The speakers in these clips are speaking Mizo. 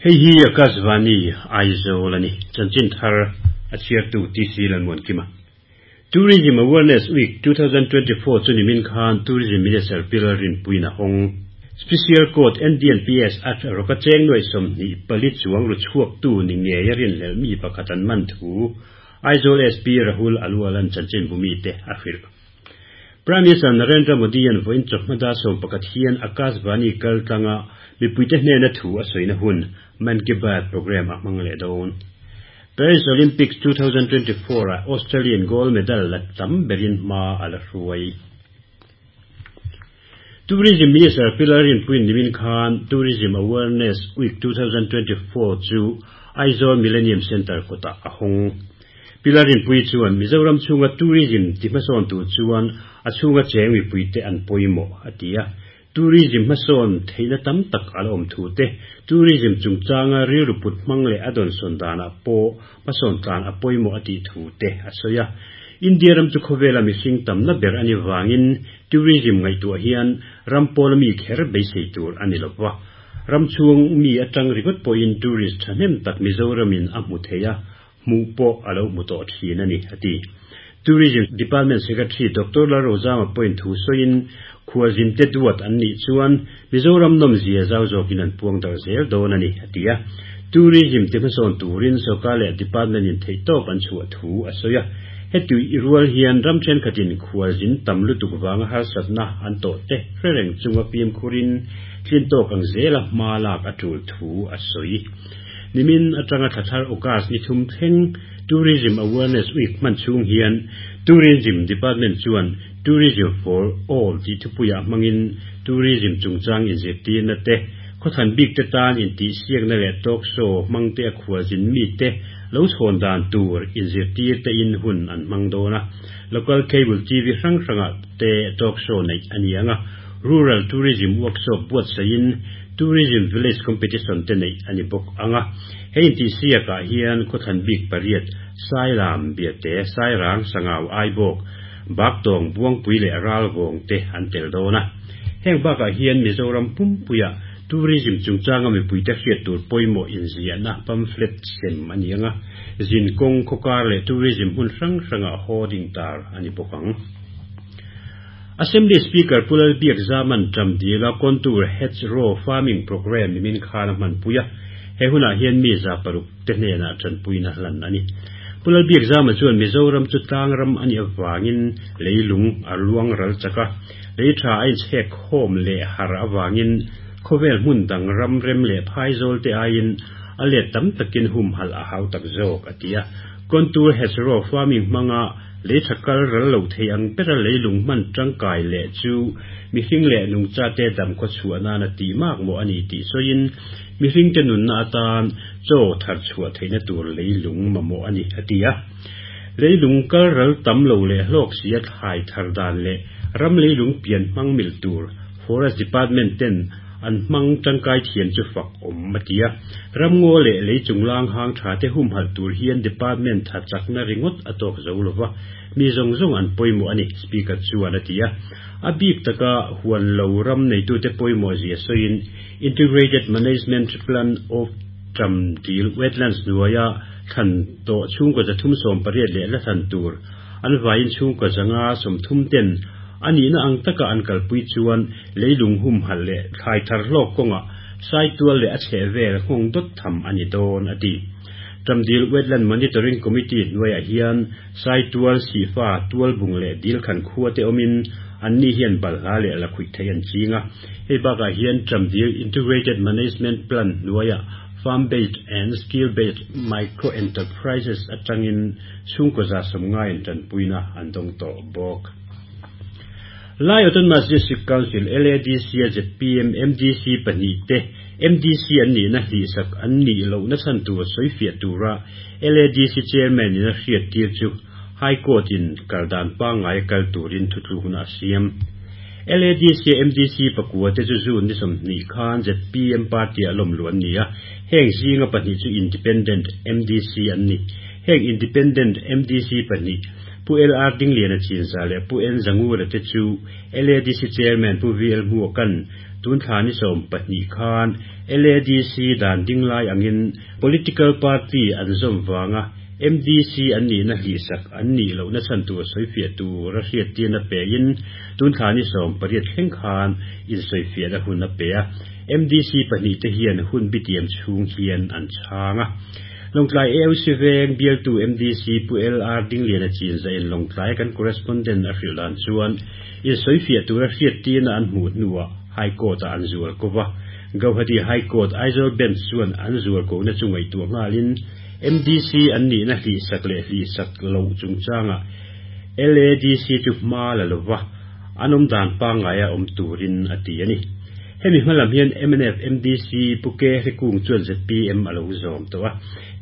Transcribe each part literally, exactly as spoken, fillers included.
Hei hi Akashvani Aizawl ani chanchin thar a chhiartu T C Lalmuankima. Tourism Awareness Week twenty twenty-four chu nimin khan Tourism Minister Pilar Rinpuina hawng. Special Court N D N P S at roka cheng nuai sawmhnih pali chuang ru chhuak tu ni nge a rin hlel mi pakhat an man thu Aizawl S P Rahul Aluwalan chanchin bumi te a hrilh. Prime Minister Narendra Modi an voin chawhmada sawm pakhat hian Akashvani kal tlanga mipuite hnena thu a sawina hun Mann Ki Baat program a hmang leh dawn. Paris Olympics twenty twenty-four a Australian gold medal la tam berin hma a la hruai. Tourism Minister Pilar Rinpuiin nimin khan Tourism Awareness Week twenty twenty-four chu Aizawl Millennium Centre kawtah a hawng. Pilar Rinpuii chuan Mizoram chhunga tourism ti hmasawn tur chuan a chhunga cheng mipuite an pawimawh a ti a. Tourism hmasawn theihna tam tak a la awm thu te, tourism chungchanga rilru put hmang leh a dawn sawn danah pawh hmasawn tlan a pawimawh a tih thu te a sawi a. India ram chu khawvela mihring tamna ber ani wangin tourism ngaihtuah hian ram pawl mi kher beisei tur ani lova. Ram chhung mi atang ringawt pawhin tourist thahnem tak Mizoramin a hmu thei a, hmuh pawh a lo hmu tawh thin ani a ti. Tourism Department Secretary Doctor Lalrozama pawhin thu sawiin khualzin te duat an nih chuan Mizoram nawm zia zau zawkin an puang dar zel dawn ani a ti a. Tourism te hmasawn turin sawrkar leh department in theih tawp an chhuah thu a sawi a. Hetu i rual hian ram thenkhatin khualzin tam lutuk wanga harsatna an tawh te hrereng chunga pim khurin tlin tawk ang zela hma lak a tul thu a sawi. Nimin atanga thathar August ni thum thleng Tourism Awareness Week hman chhung hian Tourism Department chuan Tourism for All ti thupuia hmangin tourism chungchang inzirtirna te khawthan bik te tan intih siakna leh talk show hmang te a khualzin mi te lo chhawn dan tur inzirtir te in hun an hmang dawn a. Local cable T V hrang hranga te talk show neih ani anga. Rural Tourism Workshop buatsaiin Tourism Village Competition te neih ani bawk anga. Hei intih siakah hian khawthan bik pariat Sailam Biate Sairang Sangau Aibawk Baktawng Buangpui leh Ralvawng te an tel dawn a. Heng bakah hian Mizoram pumpuia tourism chungchanga mipuite hriat tur pawimawh inziahna pamphlet sem ani anga. Zin kawng khawkar leh tourism hmun hrang hranga hoarding tar ani bawk ang. Assembly Speaker Pulal Biak Zaman Tramdila Contour Hedgerow Farming Program nimin khan a hman puia. He hunah hian mi za paruk te hnenah tanpuina hlan ani. Pulal Biak Zama chuan Mizoram chu tlang ram ani awangin leilung a luang ral chaka. Lei tha a inchhek khawm leh har awangin khawvel hmun dang ram rem leh phaizawl te aiin a let tam takin hum hal a hau tak zawk a ti a. Contour Hedgerow Farming hmanga lei tha kal ral lo thei ang bera leilung hman tangkai leh chu mihring leh nungcha te dam khaw chhuah nana tih mak maw ani tih sawiin mihring te nunna atan chaw thar chhuah theihna tur leilung mamawh ani a ti a. Leilung kal ral tam lo leh hlawk si a thlai thar dan leh ram leilung pian hmang mil tur Forest Department ten an hmang tangkai thiam chu fak awm a ti a. Ram ngaw leh lei chunglang hang tha te hum hal tur hian department tha chakna ringawt a tawk zo lova. Mi zawng zawng an pawimawh ani speaker chuan a ti a. A bik taka huan lo ram neitu te pawimawh zia sawiin Integrated Management Plan of Tramdil Wetlands hnuaia thlan tawh chhungkaw zathum sawm pariat leh la thlan tur an vaiin chhungkaw zanga sawmthum ten ani na ang taka an kalpui chuan leilung hum hal leh thlai thar hlawk kawnga saitual leh a chheh vel nghawng dawt tham ani dawn a ti. Tramdil Wetland Monitoring Committee hnuaiah hian saitual sifa tual bung leh dil khan khua te awmin an ni hian balhla leh la khuih thei an chinga. Hei bakah hian Tramdil Integrated Management Plan hnuaiah farm-based and skill-based micro-enterprises atangin chhungkaw za sawmngai in tanpuina an dawng tawh bawk. Lai Autonomous District Council L A D C Z P M M D C pahnih te M D C an nih na hlihsak an nih loh na chhan tur sawi fiah tura L A D C chairman in a hriat tir chu High Court in kaldan pangngai kal turin thutlukna a siam. L A D C M D C pakua te chu June ni sawmhnih khan Z P M party a lawm lu an ni a. Heng zinga pahnih chu Independent M D C an ni. Heng Independent M D C pahnih Pu L R Dinglian a chinza leh Pu N Zangura te chu L A D C chairman Pu V L Hmuakan Tun thla ni sawm pahnih khan L A D C dan dinglai angin political party an zawm wanga M D C an ni na hlihsak an ni lo na chan tur soifiah tur a hriattirna pe in tun thla ni sawm pariat thleng khan in soifiah na hun a pe a. M D C pahnih te hian hun bitiam chhung hian an chhanga. Lawngtlai A O C Veng bialtu M D C Pu L R Dingliana Chinzah in Lawngtlai kan correspondent a hrilh dan chuan in soifiah tur a hriattirna an hmuh hnuah High Court a an zual kova. Guwahati High Court Aizawl Bench chuan an zual ko na chu ngaihtuah nghalin M D C an ni na hlihsak leh hlihsak lo chungchanga L A D C chu hma la lova anom dan pangngai a awm turin a ti ani. Hemi hmalam hian M N F M D C Pu Ke Hrikung chuan Z P M alo zawm tawh a.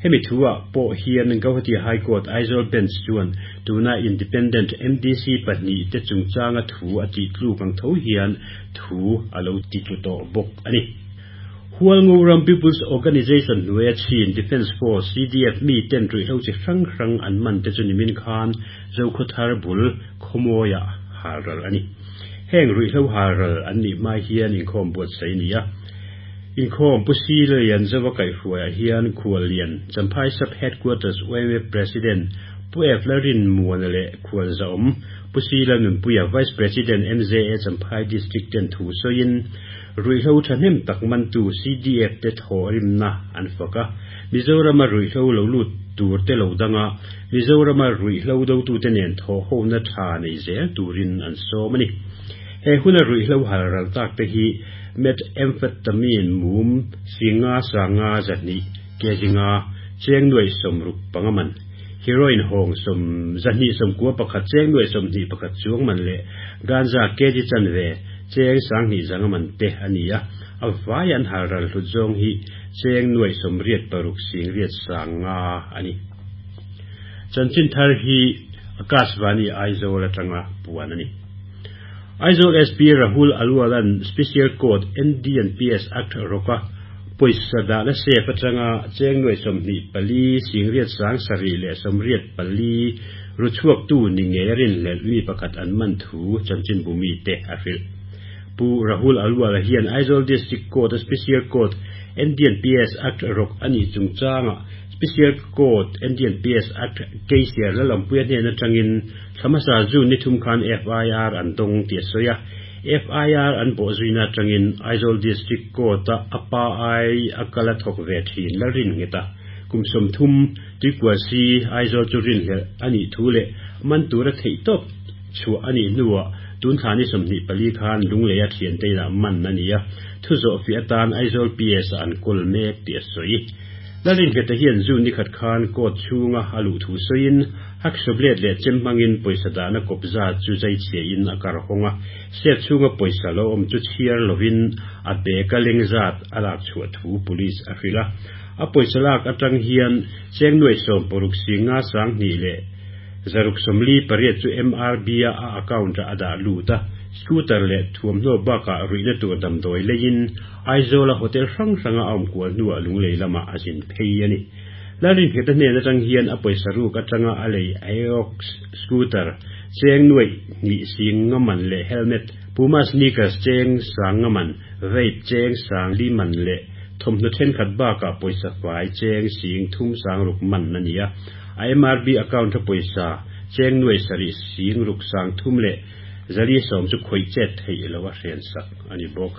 Hemi thuah pawh hian Guwahati High Court Aizawl Bench chuan tuna independent M D C pahnih te chungchanga thu a tih tluk ang tho hian thu alo ti tlu tawh bawk ani. Hualngoram People's Organization hnuaia Chin Defence Force C D F mi ten ruihhlo chi hrang hrang an man te chu nimin khan Zokhawthar bul Khawmawia halral ani. Heng ruihhlo halral an nih hma hian inkhawm buatsaih ni a. Inkhawm Pu Silian Zawa kaihhruaiah hian Khuallian Champhai Sub Headquarters Y M A President Pu F Larin Muana leh Khual Zaawm Pu Sila Nunpuia, Vice President M Z A Champhai District ten thu sawiin ruihhlo thahnem tak mantu C D F te thaw rimna an fak a. Mizorama ruihhlo lo lut tur te lo danga Mizorama ruihhlo do tu te nen thaw ho na tha nei zel turin an sawm ani. He huna ruihhlo halral tak te hi methamphetamine mum singa sanga zahnih kg nga cheng nuai sawmruk panga man, heroin hawng sawm zahnih sawmkua pakhat cheng nuai sawmhnih pakhat chuang man leh ganja kg chanve cheng sanghnih zanga man te ani a. A vai an halral hlut zawng hi cheng nuai sawmriat paruk singriat sanga ani. Chanchin thar hi Akashvani Aizawl atanga puan ani. Aizawl S P Rahul Alwalan Special Court N D P S Act roka pawisa dah na safe atanga cheng nuai sawmhnih pali singriat sang sarih leh sawmriat pali ruchhuak tu ni nge rin hlelh mi pakhat an man thu chanchin bumi te a hrilh. Pu Rahul Alwala hian Aizawl District Court Special Court N D P S Act rok ani chungchanga Special Court N D P S Act case lalampuia hnen atangin thlamasa June ni thum khan F I R an dawng ti a sawi a. F I R an bawh zuina atangin Aizawl District Court a apa ai akala thawk ve thin Lalrin ngeta kum sawmthum, Tuikual C, Aizawl chu rin hlelh ani thu leh man tura theih tawp chhuah ani hnuah tun thla ni sawmhnih pali khan Lungleia thian te inah man ani a. Thu zawh fi atan Aizawl P S an kawl mek ti a sawi. Lalrin ngeta hian June ni khat khan court chhunga a luh thu sawiin hacksaw blade leh chem hmangin pawisa dahna kawpza chu zai chhia in a kar hawnga. Safe chhunga pawisa lo awm chu chhiar lovin a bag a leng zat a lak chhuah thu police a hrilh a. A pawisa lak atang hian cheng nuai sawm paruk singa sanghnih leh zaruk sawmli pariat chu M R B a a account a dah lut a. Scooter leh thuamhnaw bakah ruihna tur damdawi leiin Aizawl a hotel hrang hranga a awm kual hnuah Lunglei lamah a zin phei ani. Lalrin ngeta hnen atang hian a pawisa ruk atanga a lei Aerox scooter cheng nuai hnih sing nga man leh helmet, Puma sneakers cheng sang nga man, vape cheng sang li man leh thawmhnaw thenkhat bakah pawisa fai cheng sing thum sang ruk man ani a. A M R B account a pawisa cheng nuai sarih sing ruk sang thum leh zali sawm chu khawih chet theih lo a hren sak ani bawk.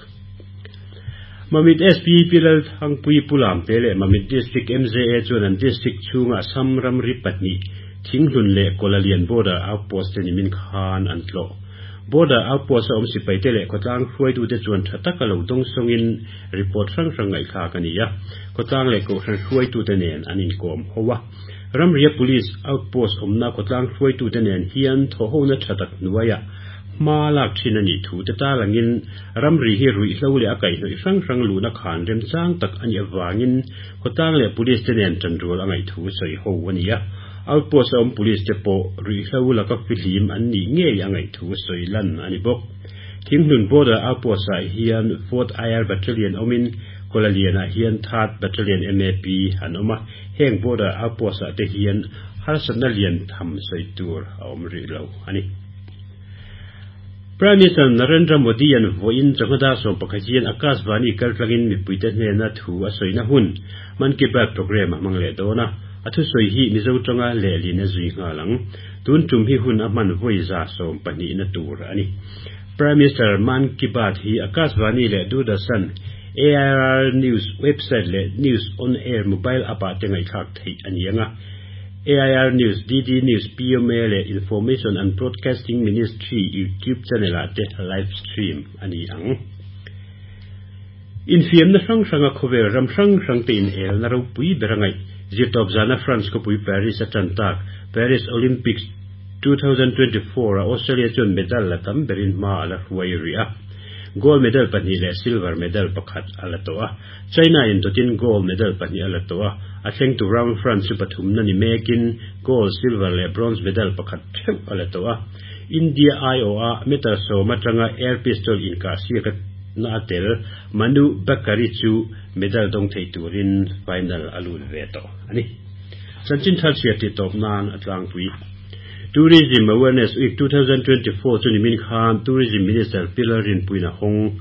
Mamit S P Pilal Thangpui Pulam te leh Mamit District M Z A chuan an district chhunga Assam ramri pahnih Thinghlun leh Kolalian border outpost te nimin khan an tlawh. Border outpost a awm sipai te leh khawtlang hruaitute chuan tha taka lo dawng sawngin report hrang hrang ngaihthlak ani a. Khawtlang leh kohhran hruaitute nen an inkawm ho a. Ramria police outpost awmna khawtlang hruaitute nen hian thawhhona tha tak hnuaiah hma lak thin ani thu te talangin ramri hi ruihhlo leh a kaihhnawih hrang hrang luhna khan remchang tak ani awangin khawtlang leh police te nen tanrual a ngaih thu sawi ho ani a. Outpost a awm police te pawh ruihhlo laka fihlim an nih ngei a ngaih thu sawi lan ani bawk. Thinghlun border outpost ah hian fourth I R Battalion awmin Kolalian ah hian third Battalion M A P an awm a. Heng border outpost ah te hian harsatna lian tham sawi tur a awm rih lo ani. Prime Minister Narendra Modi an vawiin chawhma dar sawm pakhat hian Akashvani kaltlangin mipuite hnena thu a sawina hun Mann Ki Baat programme a hmang leh dawn a. A thusawi hi Mizo tanga lehlin a zui nghal ang. Tun tum hi hun a hman vawi za sawm pahnihna tur a ni. Prime Minister Mann Ki Baat hi Akashvani leh Doordarshan, A I R News website leh News on Air mobile app ah te ngaihthlak theih a ni ang a. A I R News, D D News, P M A leh Information and Broadcasting Ministry YouTube channel ah te live stream a ni ang. Infiamna hrang hranga khawvel ram hrang hrang te in el na ropui ber angai zirtawp zana France khawpui Paris a tan tak Paris Olympics twenty twenty-four a Australia chuan medal la tam berin hma ala hruai ri a. Gold medal pahnih leh silver medal pakhat a la tawh a. China in dawtin gold medal pahnih a la tawh a. A thleng tu ram France chu pathum na ni mekin gold, silver leh bronze medal pakhat theuh a la tawh a. India I O a meter sawm atanga air pistol inkah siak na a tel Manu Bhaker chu medal dawng thei turin final a lut ve tawh ani. Chanchin thar chhiar ti tawp nan a tlangpui. Tourism Awareness Week twenty twenty-four chu nimin khan Tourism Minister Pi Lalrinpuiin a hawng.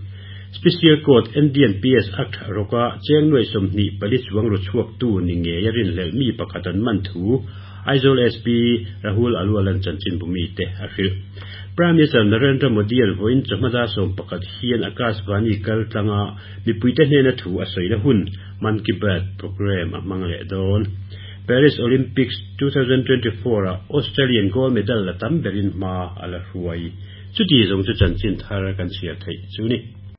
Special Court N D P S Act roka cheng nuai sawmhnih pali chuang ru chhuak tu ni nge a rin hlelh mi pakhat an man thu Aizawl S P Rahul Aluwalan chanchin bumi te a hrilh. Prime Minister Narendra Modi an vawiin chawhma dar sawm pakhat hian Akashvani kaltlanga mipuite hnena thu a sawina hun Mann Ki Baat programme a hmang leh dawn. Paris Olympics twenty twenty-four a Australian gold medal la tam berin hma ala hruai. Chuti zawng chu chanchin thar kan chhiar theih chu ni.